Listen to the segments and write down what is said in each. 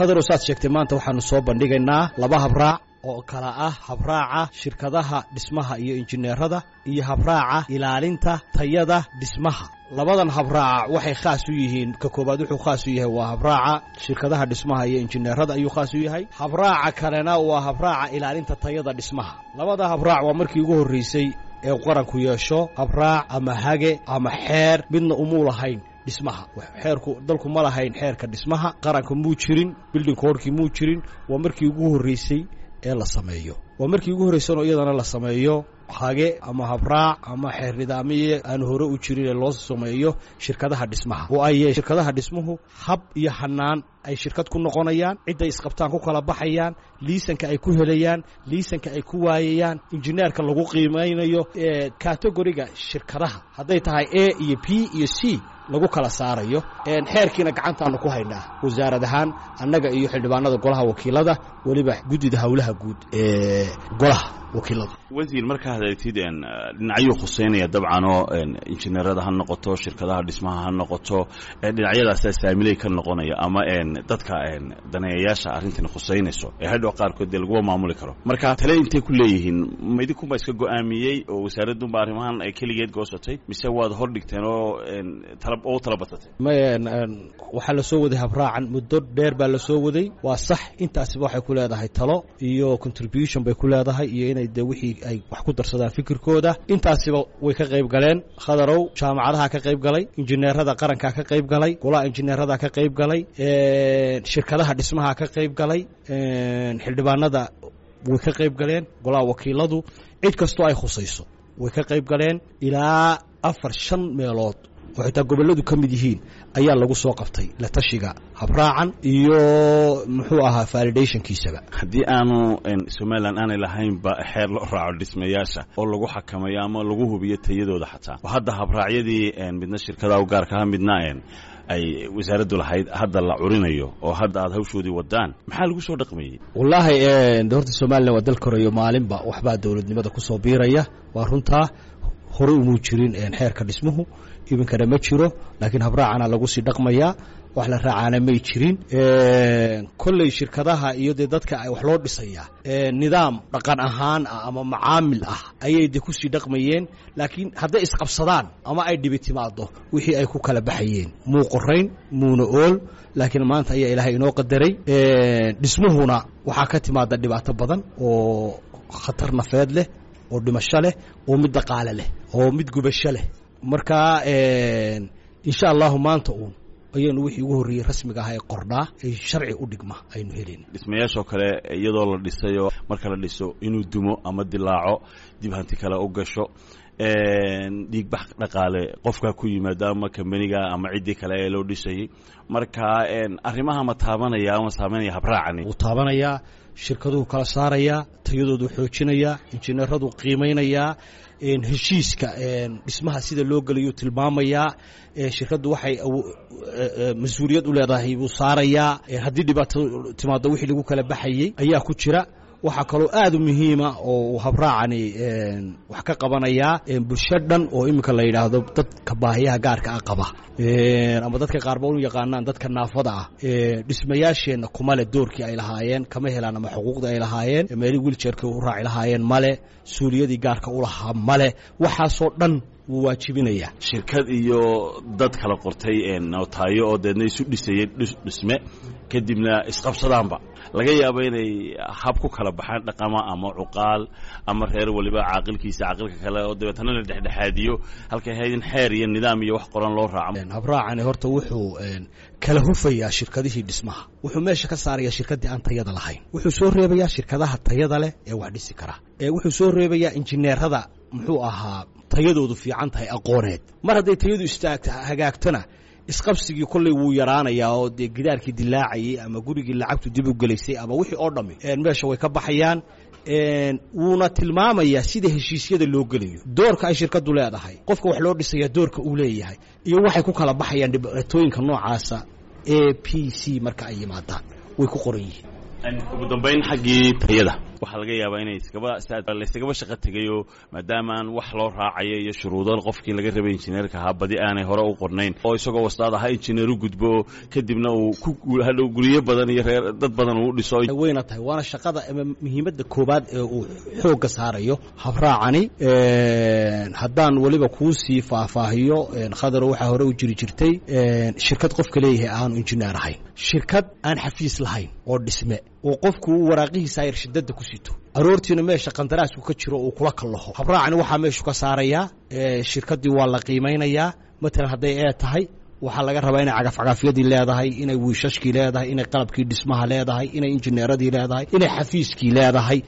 Khadarow, saad sheegtay, maanta waxaanu soo bandhigaynaa laba habraac oo kala ah habraaca shirkadaha dhismaha iyo injineerada iyo habraaca ilaalinta tayada dhismaha. Labadan habraaca waxay khaas u yihiin, ka koobaad wuxuu khaas u yahay waa habraaca shirkadaha dhismaha iyo injineerada ayuu khaas u yahay. Habraaca kalena waa habraaca ilaalinta tayada dhismaha. Labada habraac waa markii ugu horreysay ee qaranku yeesho habraac ama hage ama xeer. Midna umuu lahayn dhismaha xeerku, dalku ma lahayn xeerka dhismaha qaranka, muu jirin building code-kii, muu jirin. Waa markii ugu horreysay ee la sameeyo. Waa markii ugu horreysanoo iyadana la sameeyo hage ama habraac ama xeer nidaamiye aan hore u jirin ee loo sameeyo shirkadaha dhismaha, oo ay shirkadaha dhismuhu hab iyo hanaan ay shirkad ku noqonayaan, cidday isqabtaan ku kala baxayaan, liisanka ay ku helayaan, liisanka ay ku waayayaan, injineerka lagu qiimaynayo, category-ga shirkadaha hadday tahay A iyo B iyo C lagu kala saarayo. Xeerkiina gacantaanu ku haynaa wasaarad ahaan, annaga iyo xildhibaanada golaha wakiilada, weliba guddida howlaha guud ee golaha wakiilada. Wasiir, markaa hadaltid, dhinacyuu khuseynaya dabcanoo injineerada ha noqoto, shirkadaha dhismaha ha noqoto, dhinacyadaasaa saamiley ka noqonaya ama dadka daneeyayaasha arrintan khuseynayso ee hadhow qaarkood dee laguma maamuli karo. Marka tale intay ku leeyihiin, ma idinkunbaa iska go'aamiyey oo wasaaradunba arrimahan ay keligeed goosatay, mise waad hor dhigteen oo oo tala badsatay? Waxaa la soo waday habraacan muddo dheer baa la soo waday, waa sax. Intaasiba waxay ku leedahay talo iyo contribution bay ku leedahay, iyo inay de wixii ay wax ku darsadaan fikirkooda. Intaasiba way ka qayb galeen, Khadarow. Jaamacadaha ka qayb galay, injineerada qarankaa ka qayb galay, golaha injineerada ka qayb galay, shirkadaha dhismaha ka qayb galay, xildhibaanada way ka qayb galeen, golaha wakiiladu, cid kastoo ay khusayso way ka qayb galeen. Ilaa afar shan meelood oo xitaa gobolladu ka mid yihiin ayaa lagu soo qabtay la tashiga habraacan iyo muxuu ahaa validation-kiisaba. Haddii aanu Somalilan aanay lahaynba xeer loo raaco dhismayaasha oo lagu xakamayo ama lagu hubiyo tayadooda, xataa oo hadda habraacyadii midna shirkadaha u gaarkaha, midna ay wasaaraddu lahayd hadda la curinayo oo hadda aad hawshoodii wadaan, maxaa lagu soo dhaqmayey? Wallaahi horta Somalilan waa dal korayo, maalinba waxbaa dowladnimada kusoo biiraya. Waa runtaa, horey umuu jirin xeerka dhismuhu, iminkana ma jiro, laakiin habraacana lagu sii dhaqmayaa. Wax la raacaana may jirin. Kolley shirkadaha iyo dee dadka wax loo dhisayaa nidaam dhaqan ahaan ah ama macaamil ah ayay de kusii dhaqmayeen, laakiin hadday isqabsadaan ama ay dhibi timaado, wixii ay ku kala baxayeen muu qorayn, muuna ool. Laakiin maanta ayaa Ilaahay inoo qadaray. Dhismuhuna waxaa ka timaada dhibaato badan oo khatar nafeed leh, oo dhimasho leh, oo mid dhaqaale leh, oo mid gubasho leh. Marka insha Allahu maanta uun ayaynu wixii ugu horreeyey rasmiga ah ee qordhaa ee sharci u dhigma aynu helin. Dhismayaashoo kale iyadoo la dhisayo, marka la dhiso inuu dumo ama dilaaco, dib hanti kale u gasho, dhiigbax dhaqaale qofkaa ku yimaado ama kambaniga ama ciddii kale ee loo dhisayey, marka arrimaha ma taabanaya ama saameynaya habraacani? Wuu taabanayaa. Shirkaduhu kala saarayaa, tayadoodu xoojinayaa, injineeradu qiimaynayaa, heshiiska dhismaha sida loo gelayuu tilmaamayaa, shirkaddu waxay mas-uuliyad u leedahay buu saarayaa, haddii dhibaato timaado wixii lagu kala baxayey ayaa ku jira. Waxaa kaloo aad u muhiima oo uu habraacani wax ka qabanayaa bulsho dhan oo iminka la yidhaahdo dadka baahiyaha gaarka ah qaba, ama dadka qaarba u yaqaanaan dadka naafada ah. Dhismayaasheenna kumale doorkii ay lahaayeen kama helaan, ama xuquuqdii ay lahaayeen, meelihii wheelchair-ka u raaci lahaayeen male, suuliyadii gaarka u lahaa male. Waxaasoo dhan wuu waajibinayaa. Shirkad iyo dad kala qortay nootaayo oo deedna isu dhisayey dhisme, kadibna isqabsadaanba, laga yaabo inay hab ku kala baxaan dhaqama ama cuqaal ama reer waliba caaqilkiisa caaqilka kale, oo dabeetana la dhexdhexaadiyo, halkay ahayd in xeer iyo nidaam iyo wax qoran loo raaco. Habraacani horta wuxuu kala hufayaa shirkadihii dhismaha. Wuxuu meesha ka saarayaa shirkaddii aan tayada lahayn. Wuxuu soo reebayaa shirkadaha tayada leh ee wax dhisi kara. Wuxuu soo reebayaa injineerada muxuu ahaa tayadoodu fiican tahay aqooneed. Mar hadday tayadu istaagta hagaagtona, isqabsigii kolley wuu yaraanayaa, oo dee gidaarkii dilaacayey ama gurigii lacagtu dib u gelaysay ama wixii oo dhammi meesha way ka baxayaan. Wuuna tilmaamayaa sida heshiisyada loo gelayo, doorka ay shirkaddu leedahay, qofka wax loo dhisaya doorka uu leeyahay, iyo waxay ku kala baxayaan dhibaatooyinka noocaasa A B C marka ay yimaadaan, way ku qoran yihiin. Ugu dambayn, xaggii tayada Waxaa laga yaabaa inay iskaba laysagaba shaqo tegayoo, maadaama aan wax loo raacayo iyo shuruudo qofkii laga rabay injineerka ahaa badi aanay hore u qornayn, oo isagoo wastaad ahaa injineer u gudbo, kadibna uu ku hadhow guryo badan iyo reer dad badan uu dhiso. Wayna tahay, waana shaqada ama muhiimadda koobaad ee uu xoogga saarayo habraacani. Haddaan weliba kuu sii faahfaahiyo, Khadaro, waxaa hore u jiri jirtay shirkad qofka leeyahay aanu injineer ahayn, shirkad aan xafiis lahayn oo dhisme, oo qofku waraaqihiisa ayar shidada ku sito, aroortiina meesha qandaraasku ka jiro uu kula kallaho. Habraacani waxaa meeshu ka saarayaa. Shirkaddii waa la qiimaynayaa. Matalan hadday ee tahay, waxaa laga rabaa inay cagafcagafyadii leedahay, inay wiishashkii leedahay, inay qalabkii dhismaha leedahay, inay injineeradii leedahay, inay xafiiskii leedahay,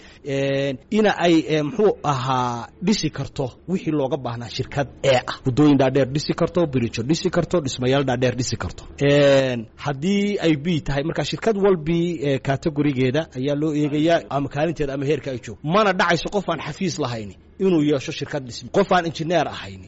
ina ay muxuu ahaa dhisi karto wixii looga baahnaa shirkad ee ah, waddooyin dhaadheer dhisi karto, birijo dhisi karto, dhismayaal dhaadheer dhisi karto. Haddii ay b tahay, marka shirkad walbii categorigeeda ayaa loo eegayaa ama kaalinteeda ama heerka ay joogto. Mana dhacayso qof aan xafiis lahayn inuu yeesho shirkad dhisme, qof aan injineer ahayn.